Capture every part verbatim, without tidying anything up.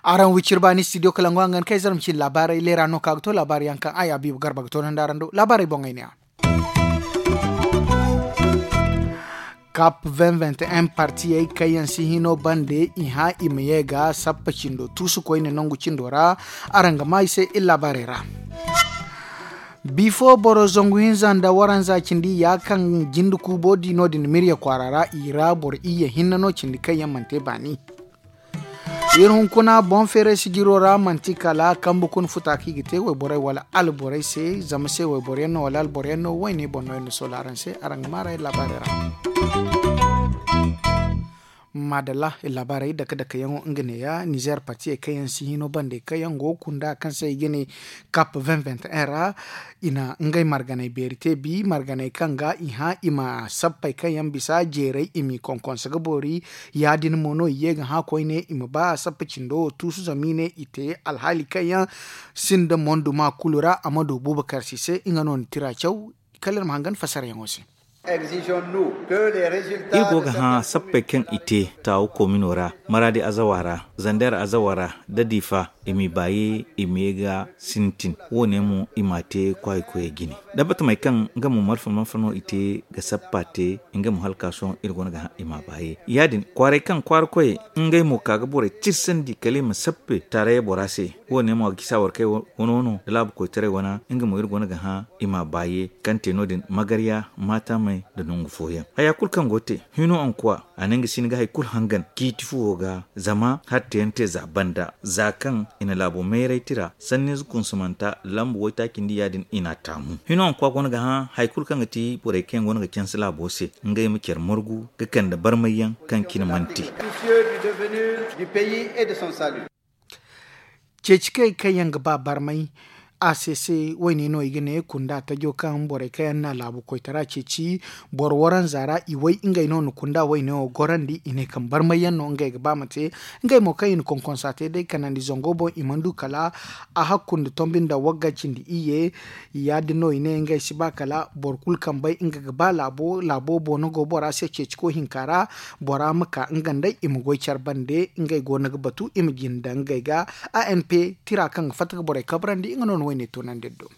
Araŋ wicir baani studio kalangu hangan kay zarma cine laabaarey leera no ka ga to laabaari yaŋ kaŋ ay abiibu garba ga to nandi araŋ do laabaarey boŋey ne a. Kap vingt vingt et un partiyey kaŋ yaŋ si hino bande i hã i ma ye ga sappa cindo tuusu koyne nangu cindo ra. Araŋ ga maa i se iri laabaarey ra. Bifo boro zangu hinza nda waranza cindi ya kaŋ jinde kuubo di no- din mirya kwaara ra i ra boro iyye hinne no cindi kaŋ yaŋ mana te baani. Iri hunkuna boŋ feeray sijiro ra manti kala kambe kuna futa kaŋ i ga te wayborey wala alborey se zama se wayboryaŋ no wala alboryaŋ no wayne boŋ no iri na soola araŋ se araŋ ga maarey laabaarey ra. Maadalla iri laabaarey dake dake yaŋo nga neeya nizeer partiyey kaŋ yaŋ si hino bande kaŋ yaŋ go ga kunda kaŋ se i ga ne kap vingt vingt et un ra. I na ngey marganey beeri te bi marganey kaŋ ga i hã i ma sappey kaŋ yaŋ bisa jeeray i m'i konkonse ga boori. Ya- din mo no i ye ga hã koyne i ma ba sappa cindo wo tuusu zama i ne i te alhaali kaŋ yaŋ sinda monduma kulu ra a ma du buubakar si se nga no na tira caw. Kala iri ma hangan fasarayaŋo se. Iri go ga hã sappey kaŋ i te taawu komino ra maraadi azawa ra zander azawa ra da diifa i m'i baaye i ma ye ga sintin wo- ne mo i m'a te kwaayi koyey jine. Dabbatamey kaŋ nga mo malfa malfa no i te ga sappa te nga mo hala ka sohõ iri go no ga hã i m'a baaye ya- din kwaaray kaŋ kwaara koyey ngey mo ka ga borey tirsandi kala i ma sappe taarayey bora se. Wo- ne mo a ga gisa war kay wano no da laabu koytaray wana nga mo iri go no ga hã i m'a baaye kaŋ te no- din magarya maatamey nda nangu fooyaŋ haya kulu kaŋ go ga te hino ankuwa a na nga si ni ga hari kulu hangan ciiti fuwo ga zama hari teyaŋ te za banda za kaŋ i na laabo mayray tira sanniize kunsumanta lambu waytaacindi ya- din i n'a taamu hino ankuwa go no ga hã hari kulu kaŋ ga ti borey kaŋ yaŋ go no ga canse laabo se ngey ma care margu ga kande barmayyaŋ kaŋ cine mana te. Ceeci kay kaŋ yaŋ ga ba barmay a se se wayne no i ga ne kunda tajo kaŋ borey kaŋ yaŋ na laabu koytara ceeci boro waranza ra i way ngey no na kunda wayne wo gorandi i ne kaŋ barmay yaŋ no ngey ga ba ma te. Ngey mo kaŋ i na konkonsa te day kanandi zango boŋ i mana du kala a hakku nda tombi nda wagga cindi iyye. Ya- din no i ne ngey si ba kala boro kulu kaŋ bay nga ga ba laabo laabo boŋ no go bora se ceeciko hinka ra. Bora ma ka nga nd'ey i ma goy care bande ngey go no ga batu i ma jinde ngey ga. A n p tira kaŋ ga fatta ga borey kabrandi nga no na wayne toonandi iri do.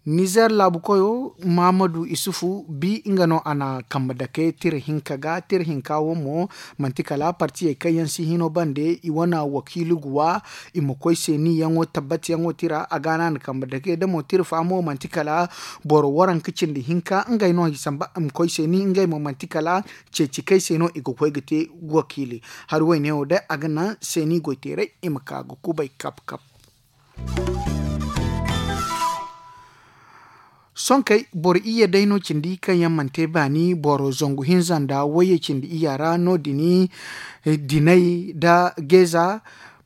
Nizeer laabu koyo mahamadu isufu bi nga no a na kambe dake tira hinka ga tira hinka wo mo manti kala partiyey kaŋ yaŋ si hino bande i wane wakiili ga wa i ma koy seeniyaŋo tabbatiyaŋo tira a ga no a na kambe dake da mo tira fa mo manti kala boro waranka cindi hinka ngey no i samba i ma koy seeni ngey mo manti kala ceeci kay se no i ga koy ga te wakiili. Hari wayne wo day a ga naŋ seeni goyteerey i ma ka ga kubay kap kap. Sohõ kay boro iyye day no cindi kaŋ yaŋ mana te baani boro zangu hinza nda wayye cindi iyya ra no- din dinay nda geeza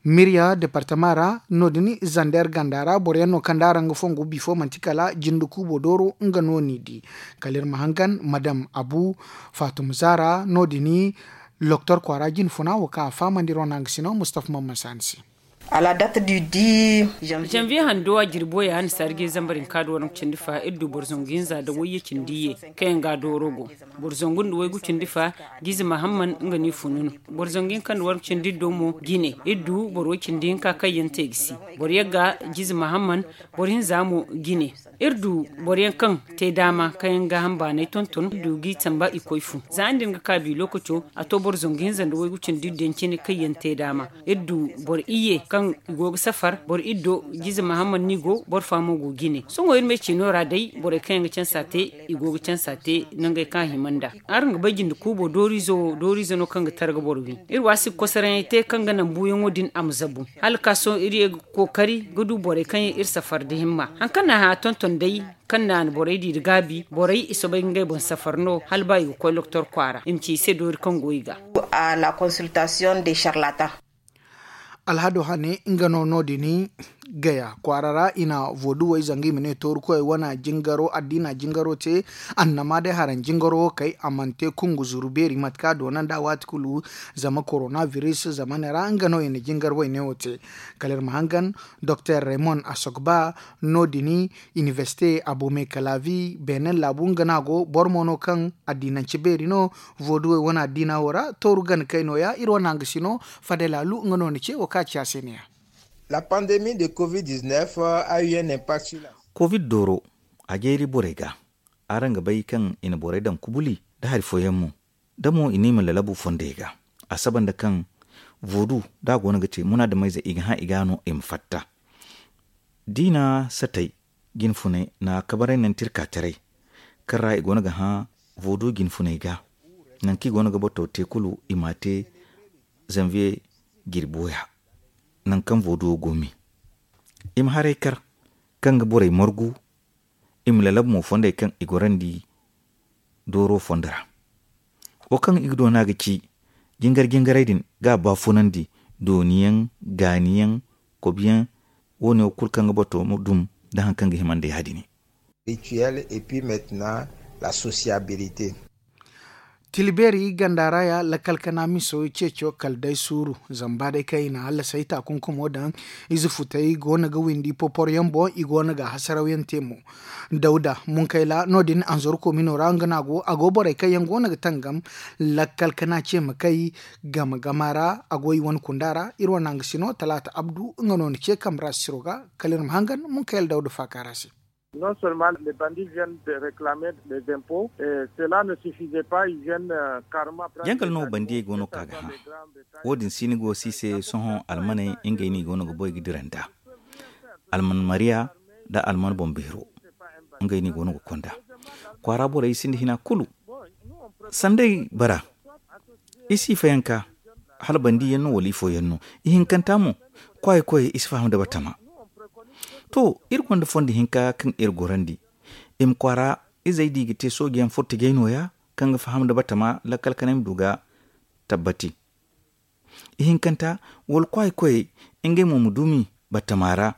mirya departama ra no- din zander ganda ra boro yaŋ no kaŋ da araŋ ga fongu bifo manti kala jinde kuubo dooro nga no n'i di. Kala iri ma hangan madam abu faatuma zaara no- din loktor kwaara jine funa wo kaŋ a fahamandi iri wane hangasino mustafa mamman saani se. Janvier hando a jirbo ya hanna saari ga ye zambar hinka da waranka cindi fa iri du boro zangu hinza nda wayye cindi ye kaŋ yaŋ ga dooro go. Boro zangu nda waygu cindi fa jize mahamman nga no i funu no. Boro zangu hinka nda waranka cindi iri do mo jine iri du boro way cindi hinka kaŋ yaŋ te ga si. Boro yagga jize mahamman boro hinza mo jine. Iri du boro yaŋ kaŋ te daama kaŋ yaŋ ga hamba n'ay tonton iri du g'i tamba i koy fu za ni din ga ka bi lokaco a to boro zangu hinza nda waygu cindi iri daŋ cine kaŋ yaŋ te daama. Iri du boro iyye kaŋ i go ga safar boro iri do jize mahamman no i go boro fa mo go jine sohõ iri me ciino ra day borey kaŋ yaŋ ga cansa te i go ga cansa te nangey kaŋ a hima nd'a. Araŋ ga bay jinde kuubo dooriize wo dooriize no kaŋ ga targa boro wi. Iri waasi ga kosaraŋey te kaŋ ga naŋ buuyaŋo din a ma zabu hala ka sohõ iri ye ga kookari ga du borey kaŋ yaŋ iri safar nda himma. Hari kaŋ no a hã tonton day kaŋ naana borey di nda gaabi borey i soobay ga ngey boŋ safar no hala ba i ga koy loktor kwaara i ma ci i se doori kaŋ go i ga. Alhado hane nga no no- din Gaya kwaara ra i na voduwey zanga i ma ne toorukoyey wane jingaro addiina jingaro te. Annama day haraŋ jingaro wo kay a mana te kungu zuru beeri mate kaŋ a doona nd'a waati kulu. Zama korona biris zamane ra nga no i na jingar wayne wo te. Kala iri ma hangan doktor raymond asogba no- din inibersite abome kalavi benin laabu nga no a go boro mo no kaŋ addiinance beeri no. Voduwey wane addiina wo ra tooru gana kay nooya iri wane hangasino fadalaalu nga no ni ce wo kaŋ a ci a se ne- ya. La pandemi de covid dix-neuf a eu un impact sur la covid dooro a jeeri borey ga. Araŋ ga bay kaŋ i na borey daŋ kubuli nda hari fooyaŋ mo da mo i ne i ma lalabu fondey ga. A saba nda kaŋ vodu da a go no ga te munaadameyze i ga hã i ga no i ma fatta. Diina satey jinfuney na kabaray naŋ tirka taray kaŋ ra i go no ga hã vodu jinfuney ga. Nangu kaŋ i go no ga bato te kulu i m'a te zanviye jirbi waya. Nangu kaŋ vodu wo go me i ma haray kar kaŋ ga borey margu. I ma lalabu mo fondey kaŋ i gorandi dooro fondo ra. Wo kaŋ i ga doona ga ci jingar jingarey din ga a baafunandi dooniyaŋ gaaniyaŋ kobiyaŋ. Wo- ne wo kulu kaŋ ga bato dum nda hari kaŋ ga himandi ya- din. Rituel et puis maintenant la sociabilité. Tila beeri ganda ra ya lakkal kana miso ceeco kala day suuru. Zama ba day kaŋ i na hallasay taakunkumo daŋ ize futey go no ga windi poporyaŋ boŋ i go no ga hasarawyaŋ te mo. Dawda munkayla no- din anzoro komino ra nga no a go a go borey kaŋ yaŋ go no ga tangam lakkal kana ce ma kay game gama ra a go i wane kunda ra iri wane hangasino talaata abdu nga no ni ce kambe ra sisiro ga. Kala iri ma hangan munkayla dawda faaka ra se. Non seulement les bandits viennent de réclamer les impôts, cela ne suffisait pas, ils viennent carrément prendre. Jangal no bandiyey go no ka ga hã. Wo- din si ni go si se sohõ almaney ngey no i go no ga boy ga dira nd'a. Alman mariya nda alman boŋbeero ngey no i go no ga konda kwaara borey sinda hina kulu. Sanday bara i si fayanka hala bandiyaŋ no wala ifooyaŋ no. Ihinkanta mo kwaayi koyey i si faham nda batama. To iri gonda fondo hinka kaŋ iri gorandi i ma kwaara izey da i ga te soojeyaŋ furtijey nooya kaŋ ga faham nda batama lakkal kanay ma du ga tabbati. Ihinkanta wala kwaayi koyey ngey mo ma dumi batama ra.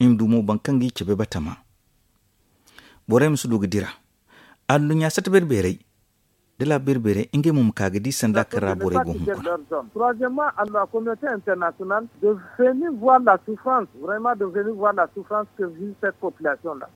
I ma du mo boro kaŋ ga i cabe batama. Borey ma si du ga dira adduɲɲa sata beeri beerey da laabu beeri beerey ngey mo ma ka ga di sanda kaŋ ra borey go hunkuna. Troisièmement à la communauté internationale de venir voir la souffrance vraiment de venir voir la souffrance que vit cette population là.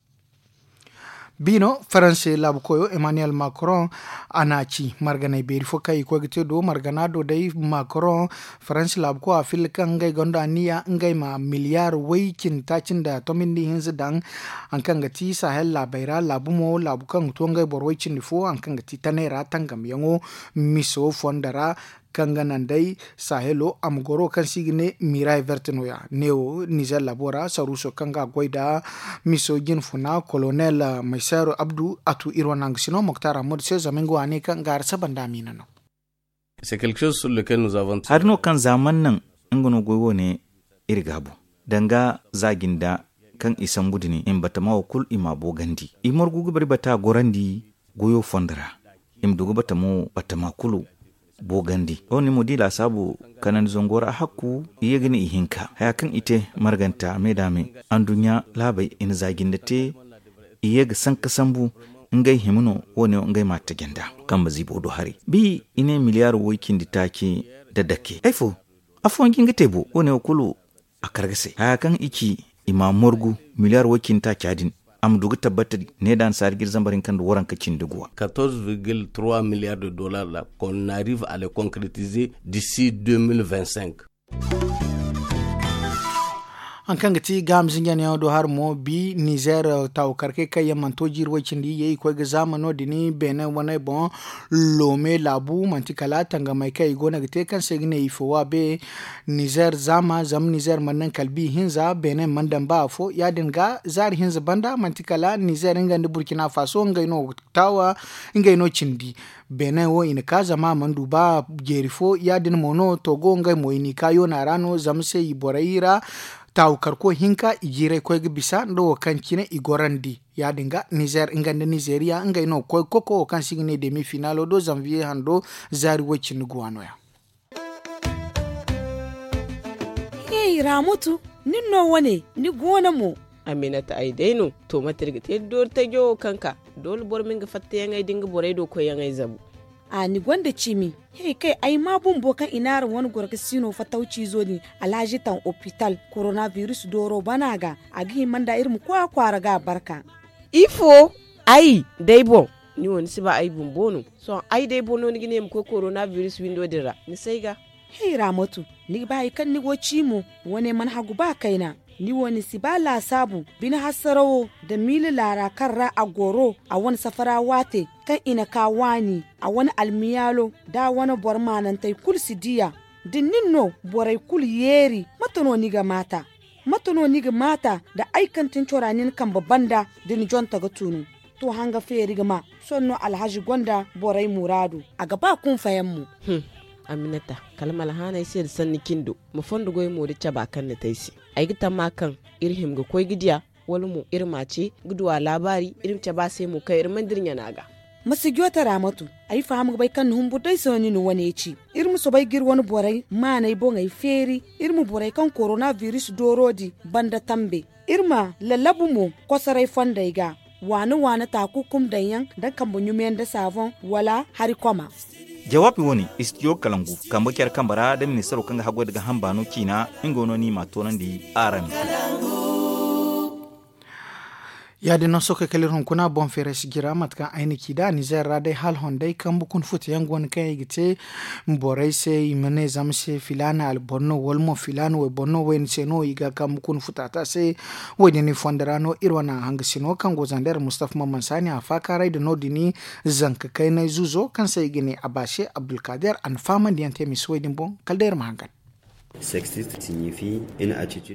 Biino faranse laabu koyo emmanuel macron a n'a ci marganey beeri fo kaŋ i koy ga te do margana do day macron faranse laabu koyo a filla kaŋ ngey gonda niya ngey ma miliyar way cindi taaci nda tomindi hinza daŋ. Haŋ kaŋ ga ti sahel laabey ra laabu mo laabu kaŋ ga to ngey boro way cindi fo haŋ kaŋ ga ti taney ra tangamyaŋo miso fondo ra. Kaŋ ga naŋ day sahelo a ma goro kaŋ se i ga ne miray verte nooya neewo nizer labo ra saruuso kaŋ ga a goy nda miso jinfuna kolonel maysero abdu a tu iri wane hangasino moktar hammadu se zama nga waane kaŋ ga hari saba nda a miina no. Hari no kaŋ za mana naŋ nga no goy wo- ne iri ga a boŋ danga za jinda kaŋ i sambu din i ma batama wo kulu i m'a boogandi i margu ga bari bata gorandi goyo fondo ra. I ma du ga batamo batama kulu boogandi wo- ne mo da i laasaabu kanandi zango ra hakku i ye ga ne ihinka haya kaŋ i te marganta me da me anduɲɲa laabey i na za jinda te. I ye ga sanka sambu ngey hima no wo- ne wo ngey ma a taji nd'a. Kambe ziibo do haray bi i ne miliyar way cindi taaci nda dake ay fo afooyaŋ ga hin ga te bo wo- ne wo kulu a kar ga se haya kaŋ i ci i ma a morgu miliyar way cindi taaca din a ma du ga tabbata ne da annasaari ga iri zambar hinka nda waranka cindi guwa. Quatorze virgule trois milliards de dollars là qu'on arrive à les concrétiser d'ici deux mille vingt-cinq. Haŋ kaŋ ga ti gaaham zinjanayaŋo do hari mo bi nizer taawu karkey kaŋ yaŋ mana to jiiri way cindi i ye i koy ga zaama no- din beene waney boŋ. Loome laabu manti kala tangamey kaŋ i go no ga te kaŋ se i ga ne i fo wa be. Nizer zaama zama nizer mana naŋ kala bi hinza beene mana daŋ ba afo ya- din ga zaari hinza banda manti kala nizer nga nda burkina faso ngey no taawa ngey no cindi. Beene wo i na ka zama a mana du ba jeeri fo ya- din mo no togo ngey mo i n'i ka yoona ra no zama se i borey ra. Taawu karko hinka i jiirey koy ga bisa nda wo kaŋ cine i gorandi ya- din ga nizer nga nda nizeriya ngey no ga koy ga koko wo kaŋ se i ga ne demi finalo do zanviye hando zaari way- cindi guwa no- ya. Hey ramutu. Nin no wane ni goono mo. Aminata ay day no. To mate iri ga te doori tajo wo kaŋ ka doole boro ma nga fattayaŋey da nga borey do koyyaŋey zabu. A ni gonda cimi. He kay ay ma bumbo kaŋ i naara wane goro ga sino fatawciizo din alhazi taŋ opital korona biris dooro bana ga. A ga hima nda iri ma koy a kwaara ga a barka. Ifo? Ay day boŋ. Ni wo ni si ba ay bumbo no. Sohõ ay day boŋ no ni ga ne ma koy korona biris windo din ra ni si ay ga. Hey raamatu, ni ga ba hari kaŋ ni go ci mo? Wane mana hagu ba kayna. Ni wo ni si ba laasaabu bine hasarawo nda miila laara kaŋ ra a goro a wane safara waate kaŋ i na ka waani a wane almiyaalo nda a wane boro maanantey kulu si diya. Da nin no borey kulu yeeri mate no ni ga maata? Mate no ni ga maata nda ay kaŋ tin cora ni na kambe banda da ni jonte ga tunu? To hanga feeri ga ma. Sohõ no alhazi gonda borey muraadu. A ga ba kunfayaŋ mo. Aminata, kala ma alhaanay se nda sanni cindo ma fondo goy mo da caba kaŋ ni te ay se. Ay ga tamma kaŋ iri hima ga koy ga diya, wala mo iri ma a ce ga du a laabaari iri ma cabe a se mo kaŋ iri mana dira ɲana ga. Ma si joote raamatu. Ay faham ga bay kaŋ ni humbur day se no ni na wane ci. Iri ma soobay ga iri wane borey maanay boŋey feeri. Iri ma borey kaŋ korona biris dooro di banda tambe. Iri ma lallabu mo kosoray fondey ga. Waana waana taakukum daŋ yaŋ nda kambe ɲumiyaŋ nda saaboŋ wala hari koma. Jawaabi wane istidiyo kalangu kambe care kambe ra nda ministaro kaŋ ga haggoy nda ga hamba no ciina. Nga no no i m'a toonandi araŋ. Ya- din no sohõ kay kala iri hunkuna boŋ feeray si jira mate kaŋ ay na ci nd'a nizeer ra day hala honday kambe kuna futa yaŋ go no kaŋ i ga te borey se i ma ne zama se filaana alboro no wala mo filaana wayboro no wayna se no i ga kambe kuna futa te a se. Wo- din i fondo ra no iri wane hanga sino kaŋ go zandeer mustafa mamman saani a faakaaray nda no- din zanka kaynay zuuzo kaŋ se i ga ne a ba se abdulkaadir a na fahamandi yaŋ te misa wo- din boŋ kala day iri ma hangan.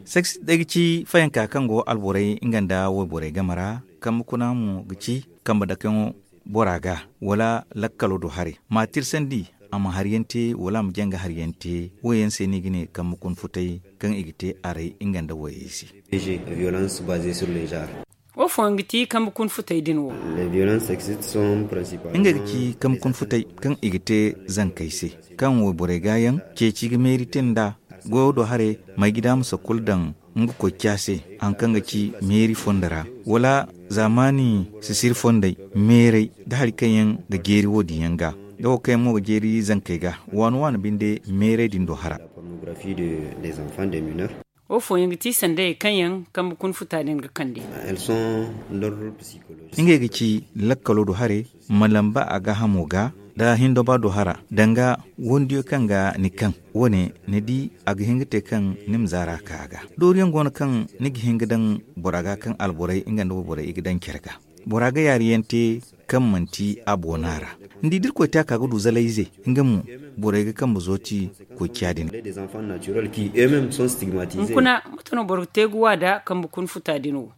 Sexist day ga ci fayanka kaŋ go alborey nga nda wayborey game ra. Kambe kuna mo ga ci kambe dakayaŋo bora ga wala lakkalo do haray ma tirsandi a ma hari yaŋ te wala a ma janga hari yaŋ te. Wo- yaŋ se no i ga ne kambe kuna futay kaŋ i ga te aray nga nda wayey se. Wo fooyaŋ ga ti kambe kuna futay din wo? Ngey ga ci kambe kuna futay kaŋ i ga te zankey se kaŋ wayborey ga yaŋ ceeci ga meeri te nd'a goyo do haray may ga daama sakkulu daŋ nga koy ca se. Hari kaŋ ga ci meeri fondo ra wala zaamaani sisiri fondey meeray nda hari kaŋ yaŋ ga jeeri wo- din yaŋ ga. Nga wo kaŋ yaŋ mo ga jeeri zankey ga waani waani binde meeray din do hara. Wo fooyaŋ ga ti sandayey kaŋ yaŋ kambe kuna futa din ga kande. Ngey ga ci lakkalo do haray ma lamba a gaahamo ga nda hindoba do hara danga wandiyo kaŋ ga ni kaŋ. Wo- ne ni di a ga hin ga te kaŋ ni ma zaara ka a ga. Dooriyaŋ go no kaŋ ni ga hin ga daŋ bora ga kaŋ alborey nga nda wayborey i ga daŋ care ga. Bora ga yaari yaŋ te kaŋ manti a boona ra. Ni di da iri koy te a ka ga du zalayze nga mo borey ga kambe zooti koy ciya din. Hunkuna mate no boro ga te ga wa nda kambe kuna futa din wo?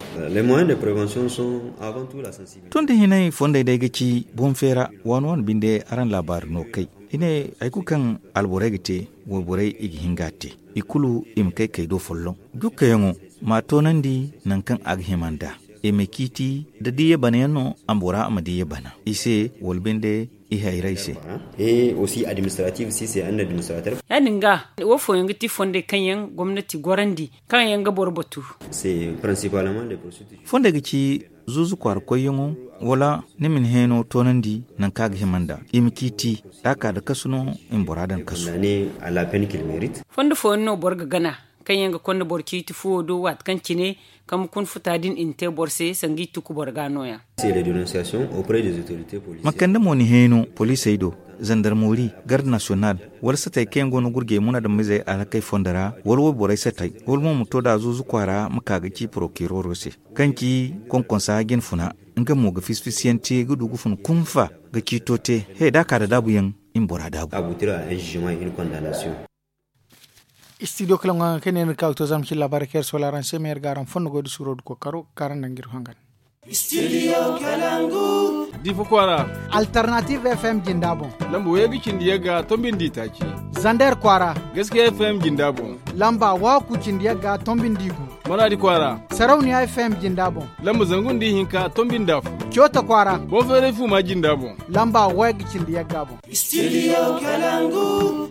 Tun da hinay fondey day ga ci boŋ feera waani waani binde araŋ laabaari no kay. I ne hari kulu kaŋ alborey ga te wayborey i ga hin ga a te. I kulu i ma kay kay do folloŋ. Jukkayaŋo ma a toonandi nangu kaŋ a ga hima nd'a. I ma ciiti da diya bana yaŋ no a ma bora a ma diya bana i se wala binde i hayray se. Ya- din ga wo fooyaŋ ga ti fondey kaŋ yaŋ gomnati gorandi kaŋ yaŋ ga boro batu. Fondey ga ci zuuzu kwaara koyyaŋo wala ni ma ni heeno toonandi nangu kaŋ a ga hima nd'a i ma ciiti da a ka nda kasu no i ma bora daŋ kasu. Fondo fooyaŋ no boro ga gana kaŋ yaŋ ga konda boro ciiti fuwo do waati kaŋ cine kambe kuna futa din i na te boro se sanga i tuku boro ga nooya. Ma kande mo ni heeno poliisey do zandarmori garde nasiyonal wala satey kaŋ yaŋ go no ga gurjay munaadamizey alhakey fondo ra wala wayborey satey wala mo ma to da zuuzu kwaara ma ka ga ci porokiroro se kaŋ ci konkonsa jinfuna. Nga mo ga fisi-fisi yaŋ te ga du ga fun kunfa ga ciito te he da a ka nda daabu yaŋ i ma bora daabu. Istidiyo kala ŋwa kaŋ ne ni ga ka ga to zama cine laabaari kaŋ iri soola araŋ se ma iri ga araŋ fondo goy da suuro da kookaro kaŋ araŋ daŋ ga iri hangan. Difa kwaara. Alternative F M jinda boŋ. Lamba way ga cindi yagga tombindi taaci. Zander kwaara. Gaskiya F M jinda boŋ. Lamba waaku cindi yagga tombindi gu. Manaadi kwaara. Sarauniya F M jinda boŋ. Lamba zangu nda ihinka tombindi afo. Coota kwaara. Boŋ feeray fuuma jinda boŋ. Lamba way ga cindi yagga boŋ. Studio Kalangu.